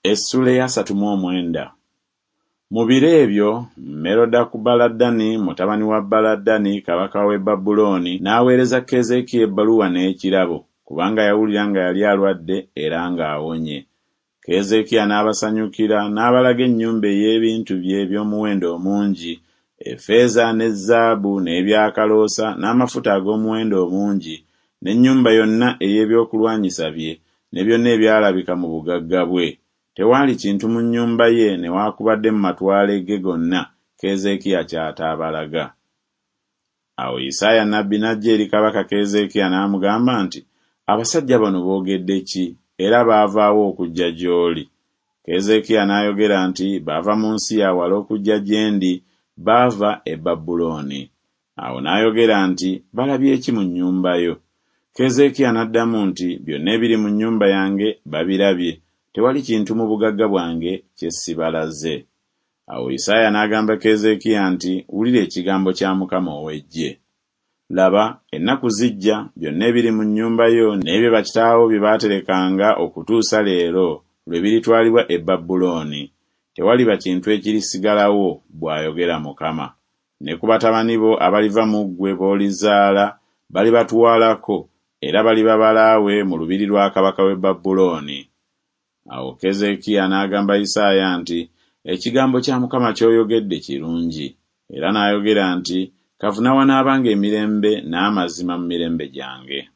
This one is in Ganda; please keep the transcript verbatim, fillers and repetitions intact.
Essula ey'asatu mu omwenda. Mu biro ebyo Merodakubaladani mutabani wa Baladani kabaka w'e Babulooni n'aweereza Keezeekiya ebbaluwa n'ekirabo, kubanga yawulira nga yali alwadde era ng'awonye. Keezeekiya n'abasanyukira n'abalaga ennyumba ey'ebintu bye eby'omuwendo omungi, effeeza ne zaabu n'ebyakaloosa n'amafuta ag'omuwendo omungi, n'ennyumba yonna ey'ebyokulwanyisa bye ne byonna ebyalabika mu bugagga bwe. Tewaali kintu mu nnyumba ye newaakubadde mu matwale ge gonna Keezeekiya ky'ataabalaga. Awo Isaaya nnabbi n'ajja eri kabaka Keezeekiya n'amugamba nti, Abasajja bano boogedde ki, era baava wa okujja gy'oli? Keezeekiya n'ayogera nti, Baava mu nsi ya wala okujja gye ndi, baava e Babulooni. Awo n'ayogera nti, Balabye ki mu nnyumba yo? Keezeekiya n'addamu nti, Byonna ebiri mu nnyumba yange babirabye, tewali kintu mu bugagga bwange kye sibalaze. Awo Isaaya n'agamba Keezeekiya nti, Wulira ekigambo kya Mukama ow'eggye. Laba, ennaku zijja, byonna ebiri mu nnyumba yo n'ebyo bakitaawo bye baaterekanga okutuusa leero lwe biritwalibwa e Babulooni. Tewaliba kintu ekirisigalawo, bw'ayogera Mukama. Ne ku batabani bo abaliva mu ggwe b'olizaala balibatwalako, era baliba balaawe mu lubiri lwa kabaka w'e Babulooni. Awo Keezeekiya n'agamba Isaaya nti, Ekigambo kya Mukama ky'oyogedde kirungi. Era n'ayogera nti, Kavuna wanaabanga emirembe n'amazima mu mirembe gyange.